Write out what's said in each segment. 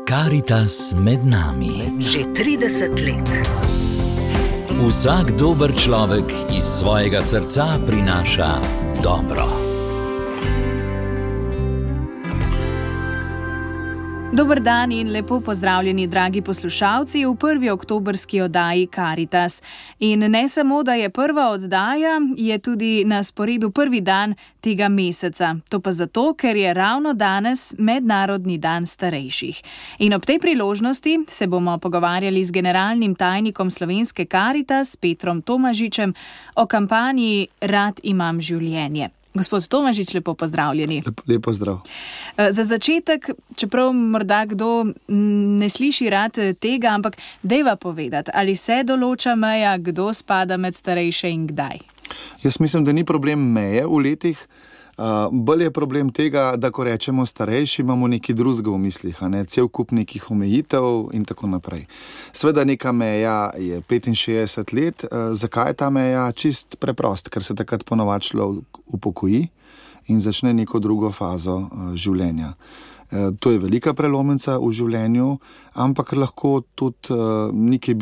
Karitas med nami. Že 30 let. Vsak dober človek iz svojega srca prinaša dobro. Dober dan in lepo pozdravljeni, dragi poslušalci, v prvi oktobrski oddaji Karitas. In ne samo, da je prva oddaja, je tudi na sporedu prvi dan tega meseca. To pa zato, ker je ravno danes Mednarodni dan starejših. In ob tej priložnosti se bomo pogovarjali z generalnim tajnikom Slovenske Karitas, Petrom Tomažičem, o kampanji Rad imam življenje. Gospod Tomažič, lepo pozdravljeni. Lep pozdrav. Za začetek, čeprav morda kdo ne sliši rad tega, ampak dejva povedati, ali se določa meja, kdo spada med starejše in kdaj? Jaz mislim, da ni problem meje v letih. Bolj je problem tega, da ko rečemo starejši, imamo nekaj drugega v mislih, cel kup nekih omejitev in tako naprej. Sveda neka meja je 65 let. Zakaj je ta meja? Čist preprost, ker se takrat ponovadi človek upokoji in začne neko drugo fazo življenja. To je velika prelomnica v življenju, ampak lahko tudi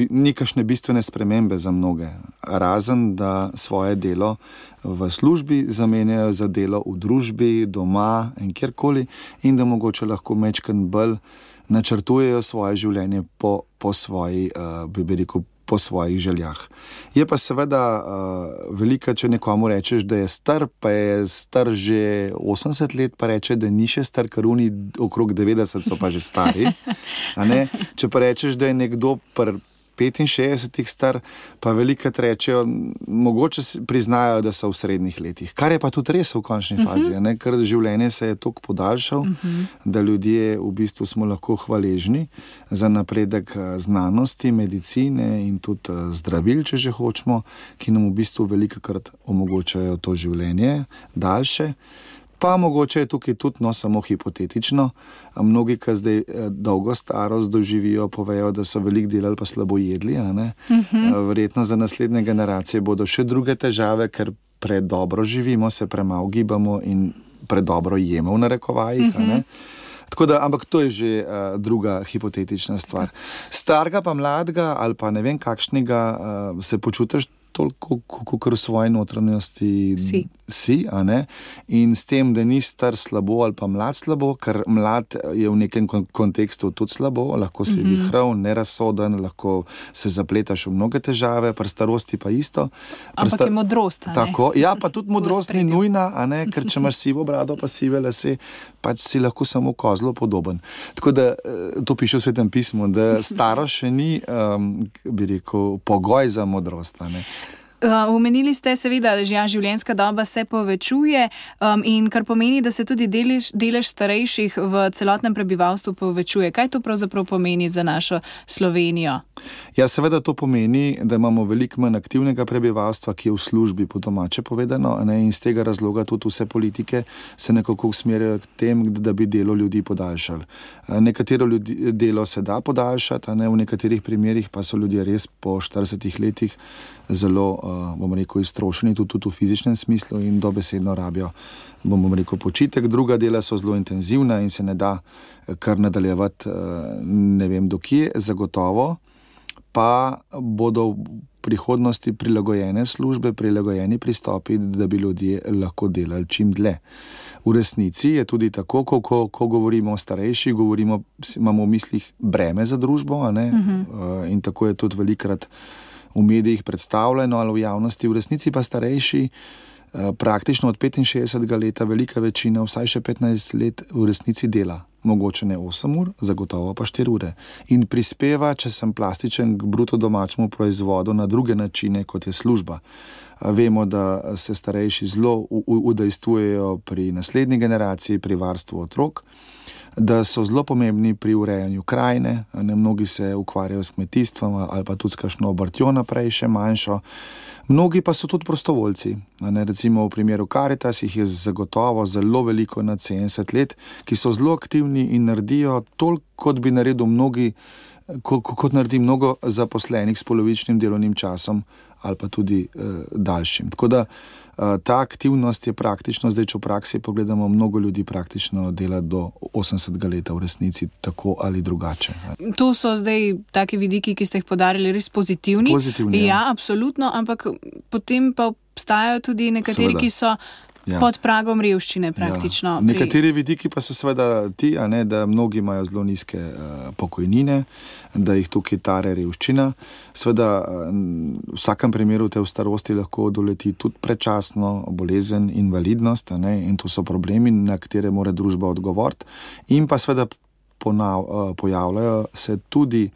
nekašne bistvene spremembe za mnoge. Razen, da svoje delo v službi zamenjajo za delo v družbi, doma in kjerkoli, in da mogoče lahko majčkeno bolj načrtujejo svoje življenje po svojih željah. Je pa seveda velika, če nekomu rečeš, da je star, pa je star že 80 let, pa reče, da ni še star, ker oni okrog 90 so pa že stari. Če pa rečeš, da je nekdo 65 star, pa velikrat rečejo, mogoče priznajo, da so v srednjih letih. Kar je pa tudi res v končni fazi, ker življenje se je toliko podaljšal, da ljudje v bistvu smo lahko hvaležni za napredek znanosti, medicine in tudi zdravil, če že hočemo, ki nam v bistvu velikokrat omogočajo to življenje daljše. Pa mogoče je tukaj tudi, samo hipotetično. Mnogi, ki zdaj dolgo starost doživijo, povejo, da so veliko delali pa slabo jedli. Verjetno za naslednje generacije bodo še druge težave, ker predobro živimo, se premalo gibamo in predobro jemo v narekovajih. Tako da, ampak to je že druga hipotetična stvar. Starega pa mladega ali pa ne vem kakšnega se počutiš toliko, kot v svoji notranjosti si, in s tem, da ni star slabo ali pa mlad slabo, ker mlad je v nekem kontekstu tudi slabo, lahko si vihrav, nerazsoden, lahko se zapletaš v mnoge težave, pri starosti pa isto. Ampak je modrost, Tako, ja, pa tudi modrost ni nujna, ker če imaš sivo brado pa sive lase, pač si lahko samo kozlo podoben. Tako da, to piše v Svetem pismu, da starost še ni, bi rekel, pogoj za modrost, Omenili ste seveda, da življenjska doba se povečuje in kar pomeni, da se tudi delež starejših v celotnem prebivalstvu povečuje. Kaj to pravzaprav pomeni za našo Slovenijo? Ja, seveda to pomeni, da imamo veliko manj aktivnega prebivalstva, ki je v službi, po domače povedano, in z tega razloga tudi vse politike se nekako usmerjajo k tem, da bi delo ljudi podaljšali. Nekatero delo se da podaljšati, v nekaterih primerih pa so ljudje res po 40 letih zelo, bomo rekel, iztrošeni tudi v fizičnem smislu in dobesedno rabijo, bomo rekel, počitek. Druga dela so zelo intenzivna in se ne da kar nadaljevati ne vem do kje, zagotovo pa bodo v prihodnosti prilagojene službe, prilagojeni pristopi, da bi ljudje lahko delali čim dlje. V resnici je tudi tako, ko govorimo o starejših, imamo v mislih breme za družbo, in tako je tudi velikrat v medijih predstavljeno ali v javnosti. V resnici pa starejši praktično od 65 leta velika večina, vsaj še 15 let v resnici dela. Mogoče ne 8 ur, zagotovo pa 4 ure. In prispeva, če sem plastičen, k bruto domačemu proizvodu na druge načine, kot je služba. Vemo, da se starejši zelo udejstvujejo pri naslednji generaciji, pri varstvu otrok, da so zelo pomembni pri urejanju krajine, mnogi se ukvarjajo s kmetijstvom ali pa tudi s kakšno obrtjo naprej, še manjšo. Mnogi pa so tudi prostovoljci. Recimo v primeru Karitas jih je zagotovo zelo veliko nad 70 let, ki so zelo aktivni in naredijo toliko, kot bi naredil mnogi, kot naredi mnogo zaposlenih s polovičnim delovnim časom ali pa tudi daljšim. Tako da ta aktivnost je praktično, zdaj če v praksi pogledamo, mnogo ljudi praktično dela do 80 leta v resnici tako ali drugače. To so zdaj taki vidiki, ki ste jih podarili, res pozitivni. Pozitivni, ja, absolutno, ampak potem pa obstajajo tudi nekateri, Seveda. ki so pod pragom revščine praktično. Nekateri vidiki pa so seveda ti, da mnogi imajo zelo nizke pokojnine, da jih tukaj tare revščina. Seveda v vsakem primeru te v starosti lahko doleti tudi predčasno bolezen, invalidnost, in to so problemi, na katere mora družba odgovoriti. In pa seveda pojavljajo se tudi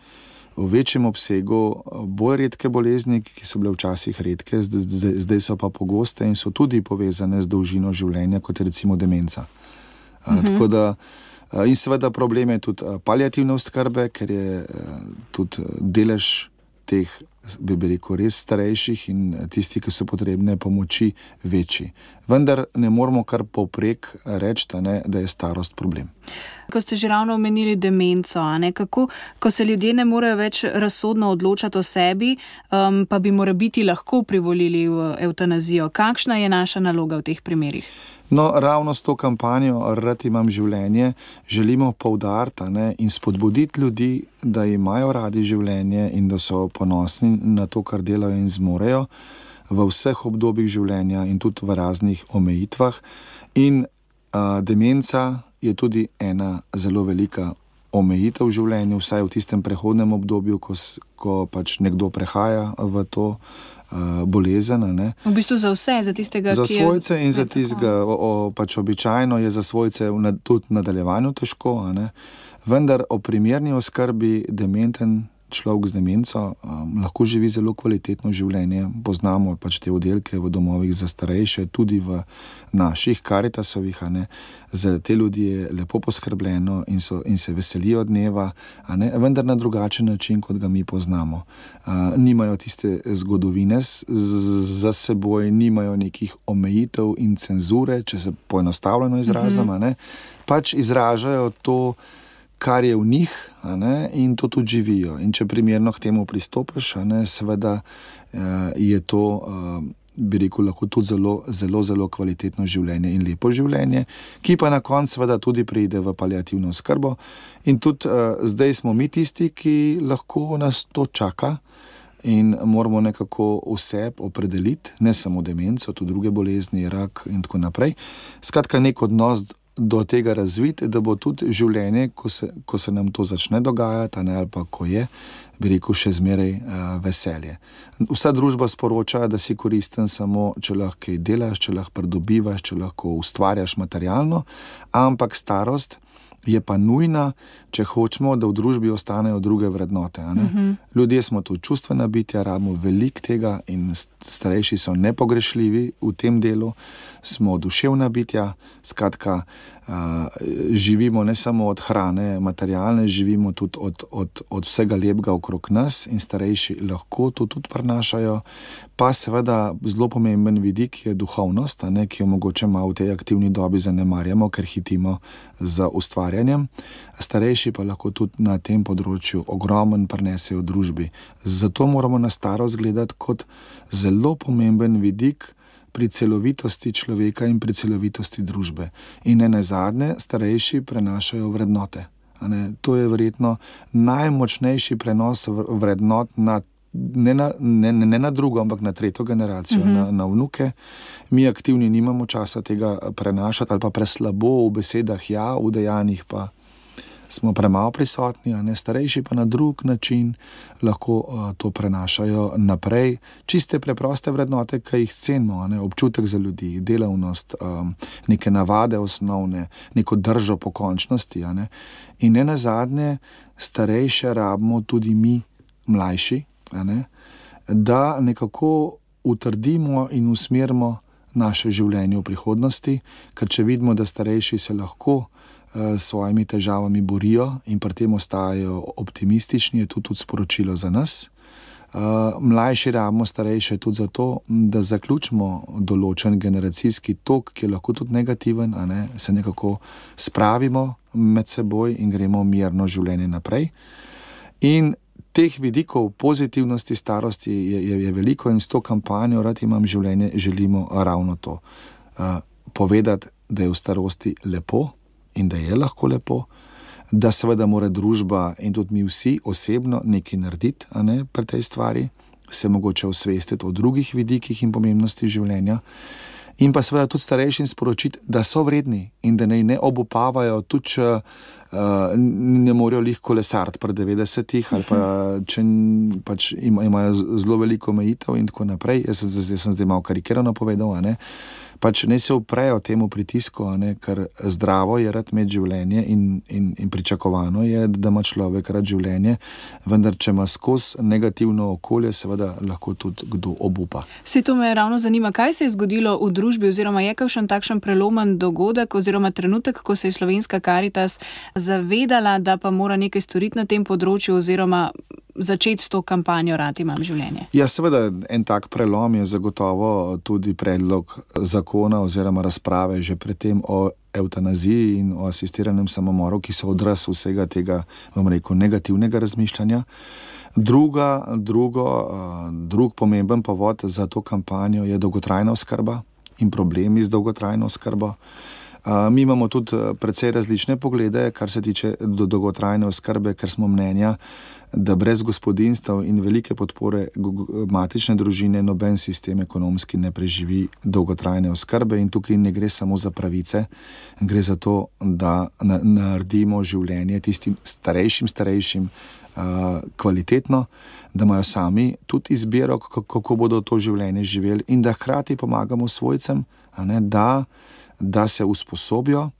v večjem obsegu bolj redke bolezni, ki so bile včasih redke, zdaj so pa pogoste in so tudi povezane z dolžino življenja, kot je recimo demenca. Tako da, in seveda problem je tudi paliativne oskrbe, ker je tudi delež teh, bi rekel, res starejših in tisti, ki so potrebne pomoči, večji. Vendar ne moramo kar povprek reči, da je starost problem. Ko ste že ravno omenili demenco, kako, ko se ljudje ne morejo več razsodno odločati o sebi, pa bi morebiti lahko privolili v evtanazijo. Kakšna je naša naloga v teh primerih? No, ravno s to kampanjo Rad imam življenje želimo poudariti in spodbuditi ljudi, da imajo radi življenje in da so ponosni na to, kar delajo in zmorejo v vseh obdobjih življenja in tudi v raznih omejitvah. In demenca je tudi ena zelo velika omejitev v življenju, vsaj v tistem prehodnem obdobju, ko pač nekdo prehaja v to bolezen. V bistvu za vse, za tistega, za ki je... Za svojce in za tistega, pač običajno je za svojce tudi v nadaljevanju težko, vendar o primerni oskrbi dementen človek z demenco lahko živi zelo kvalitetno življenje. Poznamo pač te oddelke v domovih za starejše, tudi v naših Karitasovih, za te ljudi je lepo poskrbljeno in se veselijo dneva, vendar na drugačen način, kot ga mi poznamo. Nimajo tiste zgodovine za seboj, nimajo nekih omejitev in cenzure, če se poenostavljeno izrazim, pač izražajo to, kar je v njih, in to tudi živijo. In če primerno k temu pristopiš, seveda je to, bi rekel, lahko tudi zelo kvalitetno življenje in lepo življenje, ki pa na koncu seveda tudi pride v paliativno oskrbo. In tudi zdaj smo mi tisti, ki lahko nas to čaka in moramo nekako vse opredeliti, ne samo demenco, tudi druge bolezni, rak in tako naprej. Skratka, nek odnos do tega razviti, da bo tudi življenje, ko se nam to začne dogajati, ali pa ko je, bi rekel, še zmeraj veselje. Vsa družba sporoča, da si koristen samo, če lahko kaj delaš, če lahko pridobivaš, če lahko ustvarjaš materialno, ampak starost je pa nujna, če hočemo, da v družbi ostanejo druge vrednote. Ljudje smo tu čustvena bitja, rabimo veliko tega in starejši so nepogrešljivi v tem delu, smo duševna bitja, skratka, živimo ne samo od hrane materialne, živimo tudi od vsega lepega okrog nas in starejši lahko to tudi prinašajo. Pa seveda zelo pomemben vidik je duhovnost, ki jo mogoče malo v tej aktivni dobi zanemarjamo, ker hitimo za ustvarjanjem. Starejši pa lahko tudi na tem področju ogromen prinesejo v družbi. Zato moramo na starost gledati kot zelo pomemben vidik pri celovitosti človeka in pri celovitosti družbe. In nenazadnje starejši prenašajo vrednote. To je verjetno najmočnejši prenos vrednot ne na drugo, ampak na tretjo generacijo, na vnuke. Mi aktivni nimamo časa tega prenašati ali pa preslabo v besedah, v dejanjih pa smo premalo prisotni, starejši pa na drug način lahko to prenašajo naprej. Čiste preproste vrednote, ki jih cenimo, občutek za ljudi, delavnost, neke navade osnovne, neko držo pokončnosti. In nenazadnje starejše rabimo tudi mi, mlajši, da nekako utrdimo in usmerimo naše življenje v prihodnosti, ker če vidimo, da starejši se lahko s svojimi težavami borijo in pri tem ostajajo optimistični, je to tudi sporočilo za nas. Mlajši rabimo starejše tudi zato, da zaključimo določen generacijski tok, ki je lahko tudi negativen, se nekako spravimo med seboj in gremo mirno življenje naprej. In teh vidikov pozitivnosti starosti je veliko in s to kampanjo Rad imam življenje želimo ravno to. Povedati, da je v starosti lepo in da je lahko lepo, da seveda mora družba in tudi mi vsi osebno nekaj narediti, pri tej stvari, se mogoče osvestiti o drugih vidikih in pomembnosti življenja. In pa seveda tudi starejšim sporočiti, da so vredni in da ne obupavajo, tudi če ne morejo lih kolesariti pri 90-ih ali pa če pač imajo zelo veliko omejitev in tako naprej. Jaz sem zdaj malo karikirano povedal, pač ne se uprejo temu pritisku, ker zdravo je rad imeti življenje in pričakovano je, da ima človek rad življenje, vendar če ima skozi negativno okolje, seveda lahko tudi kdo obupa. Se to me ravno zanima, kaj se je zgodilo v družbi oziroma je kakšen takšen prelomen dogodek oziroma trenutek, ko se je Slovenska Karitas zavedala, da pa mora nekaj storiti na tem področju oziroma začeti s to kampanjo Rad imam življenje? Ja, seveda, en tak prelom je zagotovo tudi predlog zakona oziroma razprave že predtem o evtanaziji in o asistiranem samomoru, ki so odraz vsega tega, negativnega razmišljanja. Drug pomemben povod za to kampanjo je dolgotrajna oskrba in problemi z dolgotrajno oskrbo. Mi imamo tudi precej različne poglede, kar se tiče dolgotrajne oskrbe, ker smo mnenja, da brez gospodinjstev in velike podpore matične družine noben sistem ekonomski ne preživi dolgotrajne oskrbe in tukaj ne gre samo za pravice, gre za to, da naredimo življenje tistim starejšim kvalitetno, da imajo sami tudi izbiro, kako bodo to življenje živeli in da hkrati pomagamo svojcem, da se usposobijo,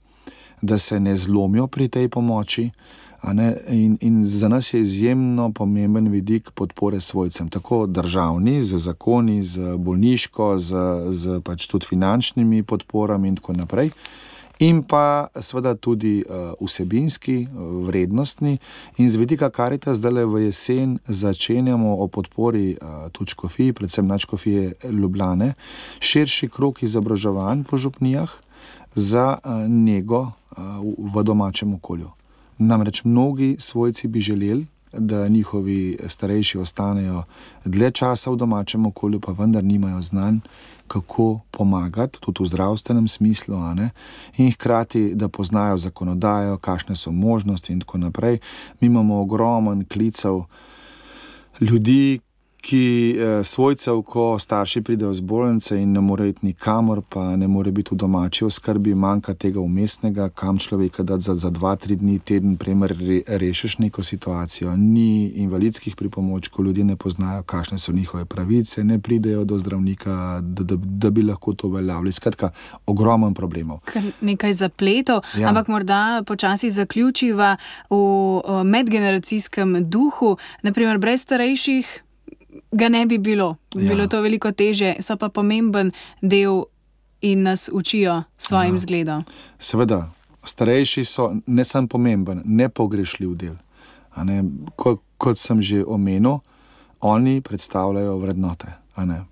da se ne zlomijo pri tej pomoči. In za nas je izjemno pomemben vidik podpore svojcem, tako državni, z zakoni, z bolniško, z pač tudi finančnimi podporami in tako naprej. In pa seveda tudi vsebinski, vrednostni. In z vidika Karitas zdaj v jesen začenjamo o podpori tudi škofiji, predvsem nadškofije Ljubljane, širši krog izobraževanj po župnijah za nego v domačem okolju. Namreč mnogi svojci bi želeli, da njihovi starejši ostanejo dlje časa v domačem okolju, pa vendar nimajo znanj, kako pomagati, tudi v zdravstvenem smislu, in hkrati, da poznajo zakonodajo, kakšne so možnosti in tako naprej. Mi imamo ogromen klicev ljudi, ki svojcev, ko starši pridejo z bolnice in ne more iti nikamor, pa ne more biti v domači oskrbi, manjka tega umestnega, kam človeka dati za 2-3 dni, teden, primer, rešiš neko situacijo. Ni invalidskih pripomočkov, ljudje ne poznajo, kakšne so njihove pravice, ne pridejo do zdravnika, da bi lahko to uveljavili. Skratka, ogromen problemov. Nekaj zapletov, ja. Ampak morda počasi zaključiva v medgeneracijskem duhu, naprimer brez starejših ga ne bi bilo. Bilo to veliko teže, so pa pomemben del in nas učijo svojim zgledom. Seveda, starejši so ne samo pomemben, nepogrešljiv del. Kot sem že omenil, oni predstavljajo vrednote,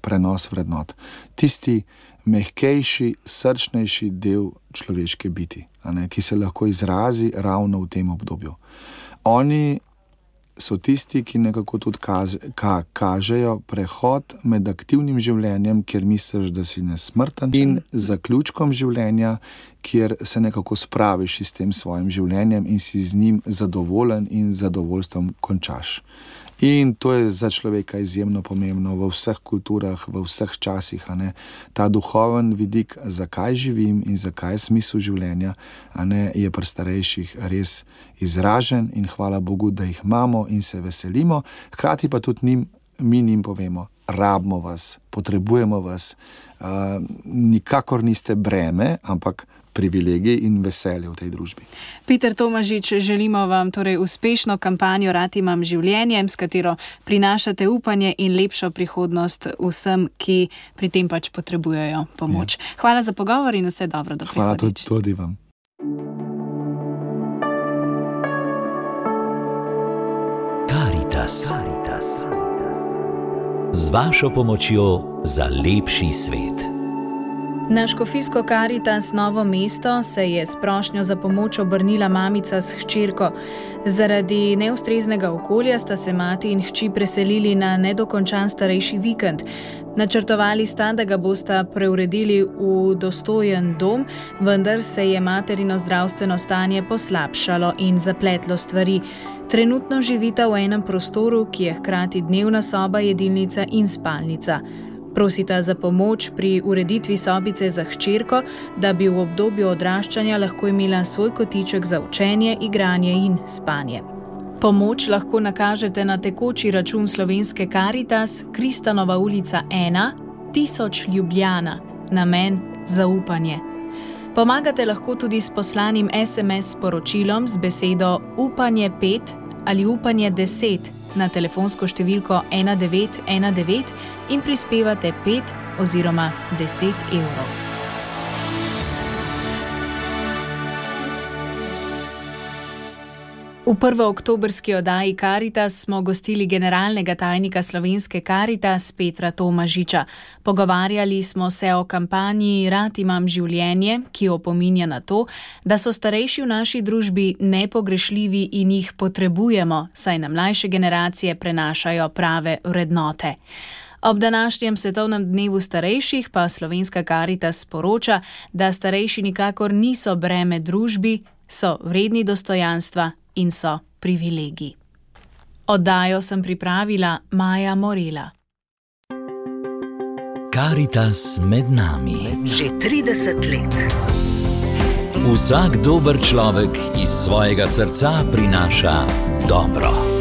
prenos vrednot. Tisti mehkejši, srčnejši del človeške biti, ki se lahko izrazi ravno v tem obdobju. Oni so tisti, ki nekako tudi kažejo prehod med aktivnim življenjem, kjer misliš, da si nesmrten, in zaključkom življenja, kjer se nekako spraviš s tem svojim življenjem in si z njim zadovoljen in zadovoljstvom končaš. In to je za človeka izjemno pomembno v vseh kulturah, v vseh časih. Ta duhoven vidik, zakaj živim in zakaj je smisel življenja, je pri starejših res izražen in hvala Bogu, da jih imamo in se veselimo. Hkrati pa tudi mi njim povemo, rabimo vas, potrebujemo vas, nikakor niste breme, ampak privilegij in veselje v tej družbi. Peter Tomažič, želimo vam torej uspešno kampanjo Rad imam življenje, s katero prinašate upanje in lepšo prihodnost vsem, ki pri tem pač potrebujejo pomoč. Ja. Hvala za pogovor in vse dobro do prihodnjič. Hvala tudi vam. Karitas. Z vašo pomočjo za lepši svet. Na škofijsko Karitas Novo mesto se je s prošnjo za pomoč obrnila mamica s hčerko. Zaradi neustreznega okolja sta se mati in hči preselili na nedokončan starejši vikend. Načrtovali sta, da ga bosta preuredili v dostojen dom, vendar se je materino zdravstveno stanje poslabšalo in zapletlo stvari. Trenutno živita v enem prostoru, ki je hkrati dnevna soba, jedilnica in spalnica. Prosita za pomoč pri ureditvi sobice za hčerko, da bi v obdobju odraščanja lahko imela svoj kotiček za učenje, igranje in spanje. Pomoč lahko nakažete na tekoči račun Slovenske Karitas, Kristanova ulica 1, 1000 Ljubljana, namen zaupanje. Pomagate lahko tudi s poslanim SMS sporočilom z besedo upanje 5 ali upanje 10 na telefonsko številko 1919 in prispevate 5 oziroma 10 evrov. V prvooktobrski oddaji Karitas smo gostili generalnega tajnika Slovenske Karitas Petra Tomažiča. Pogovarjali smo se o kampanji Rad imam življenje, ki opominja na to, da so starejši v naši družbi nepogrešljivi in jih potrebujemo, saj na mlajše generacije prenašajo prave vrednote. Ob današnjem svetovnem dnevu starejših pa Slovenska Karitas sporoča, da starejši nikakor niso breme družbi, so vredni dostojanstva in so privilegij. Oddajo sem pripravila Maja Morela. Karitas med nami. Že 30 let. Vsak dober človek iz svojega srca prinaša dobro.